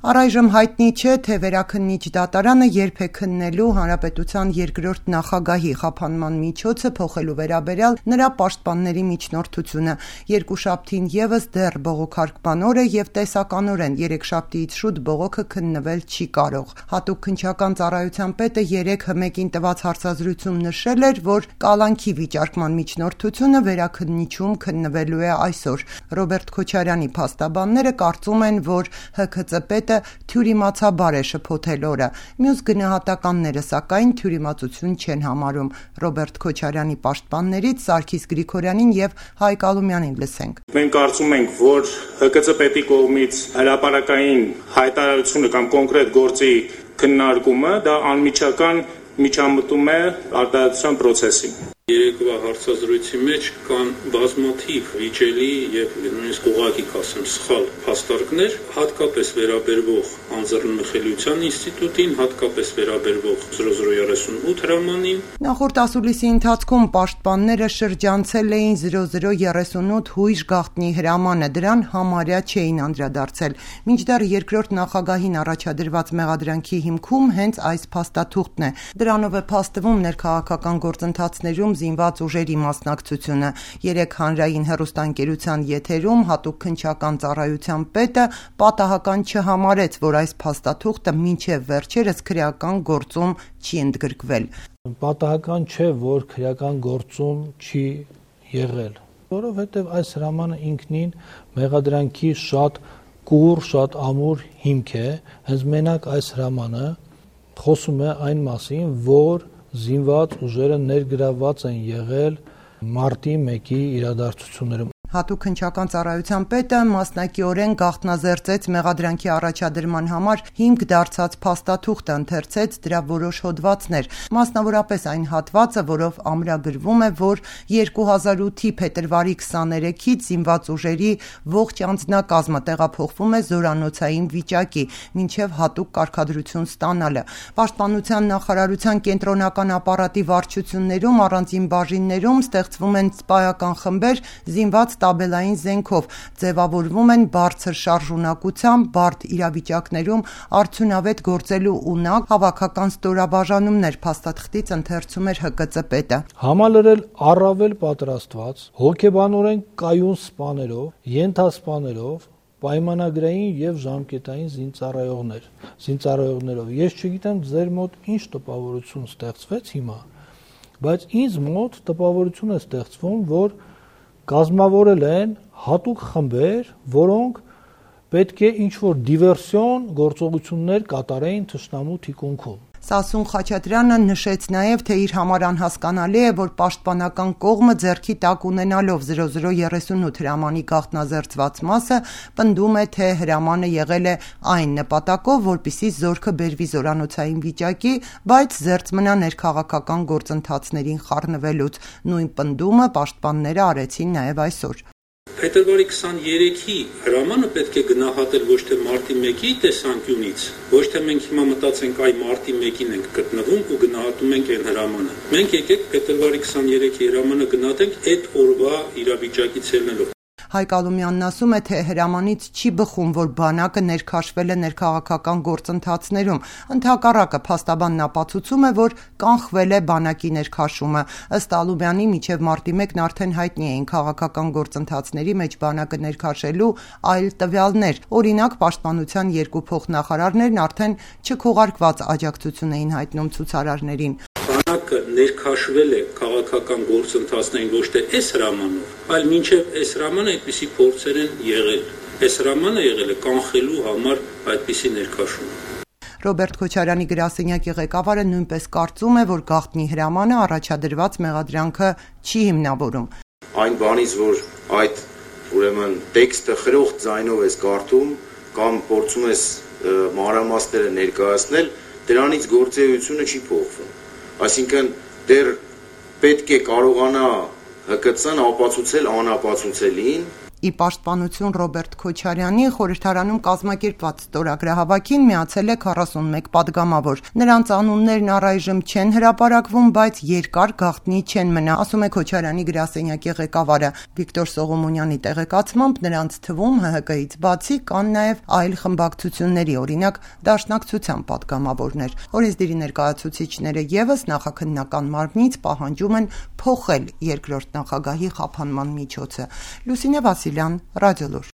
Առայժմ հայտնի չէ, թե վերաքննիչ դատարանը երբ է քննելու հանրապետության երկրորդ նախագահի խափանման միջոցը փոխելու վերաբերյալ նրա պաշտպանների միջնորդությունը։ Երկուշաբթին ևս դեռ բողոքարկման օր է եւ տեսականորեն երեքշաբթիից շուտ բողոքը քննվել չի կարող։ Հատուկ քննչական ծառայության պետը 3-1-ին տված հարցազրույցում նշել էր, որ կալանքի վիճարկման միջնորդությունը վերաքննիչում քննվելու է այսօր։ Ռոբերտ Քոչարյանի փաստաբանները կարծում են, որ ՀՔԾ պետը թյուրիմացաբար է շփոթել օրը։ Մյուս գնահատականները սակայն թյուրիմացություն չեն համարում։ Ռոբերտ Քոչարյանի պաշտպաններից Սարգիս Գրիգորյանին եւ Հայկ Ալումյանին լսենք։ Մենք կարծում ենք, որ ՀԿՑ պետի կողմից հրապարակային հայտարարությունը կամ կոնկրետ գործի քննարկումը դա անմիջական միջամտում է արտահայտության process-ին։ Երեկվա հարցազրույցի մեջ կան բազմաթիվ վիճելի եւ նույնիսկ ուղղակի կասեմ սխալ փաստարկներ, հատկապես վերաբերվող անձեռնմխելիության ինստիտուտին, հատկապես վերաբերվող 0038 հրամանին։ Նախորդ ասուլիսի ընթացքում պաշտպանները շրջանցել էին 0038 հույժ գաղտնի հրամանը, դրան համարյա չէին անդրադարձել։ Մինչդեռ երկրորդ նախագահին առաջադրված մեղադրանքի հիմքում հենց այս փաստաթուղթն է։ Դրանով է փաստվում ներքաղաքական գործընթացներում զինված ուժերի մասնակցությունը։ Երեք հանրային հեռուստաընկերության եթերում հատուկ քննչական ծառայության պետը պատահական չհամարեց, որ այս փաստաթուղթը մինչև վերջերս քրեական գործում չի ընդգրկվել։ Պատահական չէ, որ քրեական գործում չի եղել, որովհետև այս հրամանը ինքնին մեղադրանքի շատ կուռ, շատ ամուր հիմք է, հենց մենակ այս հրամանը խոսում է այն մասին, որ զինված ուժերը ներգրավված են եղել մարտի 1-ի իրադարձություններում։ Հատուկ քննչական ծառայության պետը մասնակիորեն գաղտնազերծեց մեղադրանքի առաջադրման համար հիմք դարձած փաստաթուղթը, ընթերցեց դրա որոշ հոդվածներ, մասնավորապես այն հատվածը, որով ամրագրվում է, որ 2008-ի փետրվարի 23-ից զինված ուժերի ողջ անձնակազմը տեղափոխվում է զորանոցային վիճակի, մինչև հատուկ կարգադրություն ստանալը։ Պաշտպանության նախարարության կենտրոնական ապարատի վարչություններում առանձին բաժիններում ստեղծվում են սպայական խմբեր զինված տաբելային զենքով, ձևավորվում են բարձր շարժունակությամբ, բարդ իրավիճակներում արդյունավետ գործելու ունակ հավաքական ստորաբաժանումներ, փաստաթղթից ընթերցում էր ՀԿՑ պետը։ Համալրել առավել պատրաստված, հոգեբանորեն կայուն սպաներով, ենթասպաներով, պայմանագրային եւ ժամկետային զինծառայողներով։ Ես չգիտեմ ձեր մոտ ինչ տպավորություն ստեղծվեց հիմա, բայց ինձ մոտ տպավորություն է ստեղծվում, որ կազմավորել են հատուկ խմբեր, որոնք պետք է ինչ-որ դիվերսիոն գործողություններ կատարեին թշնամու թիկունքում։ Սասուն Խաչատրյանը նշեց նաև, թե իր համար անհասկանալի է, որ պաշտպանական կողմը ձեռքի տակ ունենալով 0038 հրամանի գաղտնազերծված մասը պնդում է, թե հրամանը եղել է այն նպատակով, որպեսզի զորքը բերվի զորանոցային վիճակի, բայց զերծ մնա ներքաղաքական գործընթացներին խառնվելուց։ Նույն պնդումը պաշտպանները արեցին նաև այսօր։ Փետրվարի 23-ի հրամանը պետք է գնահատել ոչ թե մարտի 1-ի տեսանկյունից, ոչ թե մենք հիմա մտածենք այ մարտի 1-ին ենք գտնվում ու գնահատում ենք այն հրամանը։ Մենք եկեք փետրվարի 23-ի հրամանը գնահատենք այդ օրվա իրավիճակից ելնելով։ Հայկ Ալումյանն ասում է, թե հրամանից չի բխում, որ բանակը ներքաշվել է ներքաղաքական գործընթացներում։ Ընդհակառակը փաստաբանն ապացուցում է, որ կանխվել է բանակի ներքաշումը։ Ըստ Ալումյանի մինչև մարտի 1-ն արդեն հայտնի էին քաղաքական գործընթացների մեջ բանակը ներքաշելու այլ տվյալներ։ Օրինակ, պաշտպանության երկու փոխնախարարներն արդեն չքողարկված աջակցություն էին հայտնում ցուցարարներին։ Բանակը ներքաշվել է քաղաքական գործընթացներին ոչ թե այս հրամանով, այլ մինչև այս հրամանը այդպիսի փորձեր են եղել։ Այս հրամանը եղել է կանխելու համար այդպիսի ներքաշում։ Ռոբերտ Քոչարյանի գրասենյակի ղեկավարը նույնպես կարծում է, որ գաղտնի հրամանը առաջադրված մեղադրանքը չի հիմնավորում։ Այն բանից, որ այդ ուրեմն տեքստը խրոխտ ձայնով ես կարդում կամ փորձում ես մանրամասները ներկայացնել, դրանից գործելությունը չի փոխվում։ Այսինքն դեռ պետք է կարողանա ՀԿՑ-ն ապացուցել անապացուցելին, Ի պաշտպանություն Ռոբերտ Քոչարյանի խորհրդարանում կազմակերպված ստորագրահավաքին միացել է 41 падգամավոր։ Նրանց անուններն առայժմ չեն հրապարակվում, բայց երկար գաղտնի չեն մնա, ասում է Քոչարյանի գրասենյակի ղեկավարը։ Վիկտոր Սողոմոնյանի տեղեկացմամբ նրանց թվում ՀՀԿ-ից բացի կան նաև այլ խմբակցությունների, օրինակ Դաշնակցության падգամավորներ։ Օրենսդիրի ներկայացուցիչները ևս նախաքննական մարմնից պահանջում են փոխել երկրորդ նախագահի խափանման միջոցը։ Լուսինե Վասիլյան, Ռադիոլուր։